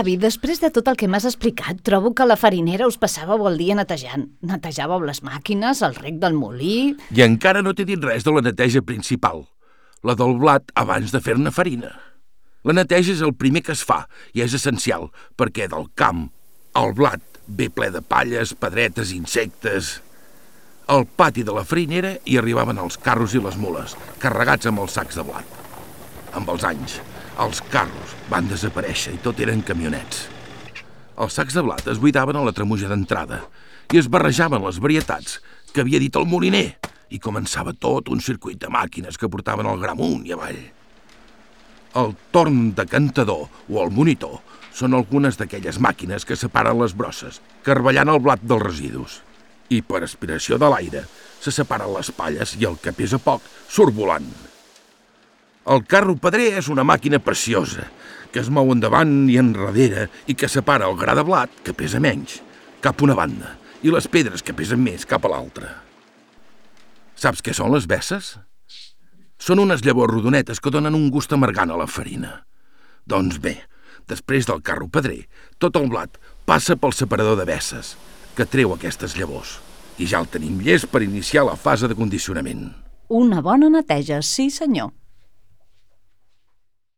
Avi, després de tot el que m'has explicat, trobo que a la farinera us passàveu el dia netejant. Netejàveu les màquines, el rec del molí... I encara no t'he dit res de la neteja principal, la del blat abans de fer-ne farina. La neteja és el primer que es fa i és essencial, perquè del camp el blat ve ple de palles, pedretes, insectes... Al pati de la farinera hi arribaven els carros i les mules, carregats amb els sacs de blat. Amb els anys, els carros van desaparèixer i tot eren camionets. Els sacs de blat es buidaven a la tremuja d'entrada i es barrejaven les varietats que havia dit el moliner i començava tot un circuit de màquines que portaven el gra amunt i avall. El torn de cantador o el monitor són algunes d'aquelles màquines que separen les brosses, carballant el blat dels residus. I per aspiració de l'aire se separen les palles i el que pesa poc surt volant. El carro pedrer és una màquina preciosa que es mou endavant i enrere i que separa el gra de blat, que pesa menys, cap a una banda i les pedres que pesen més cap a l'altra. Saps què són les besses? Són unes llavors rodonetes que donen un gust amargant a la farina. Doncs bé, després del carro pedrer, tot el blat passa pel separador de besses, que treu aquestes llavors, i ja el tenim llest per iniciar la fase de condicionament. Una bona neteja, sí senyor.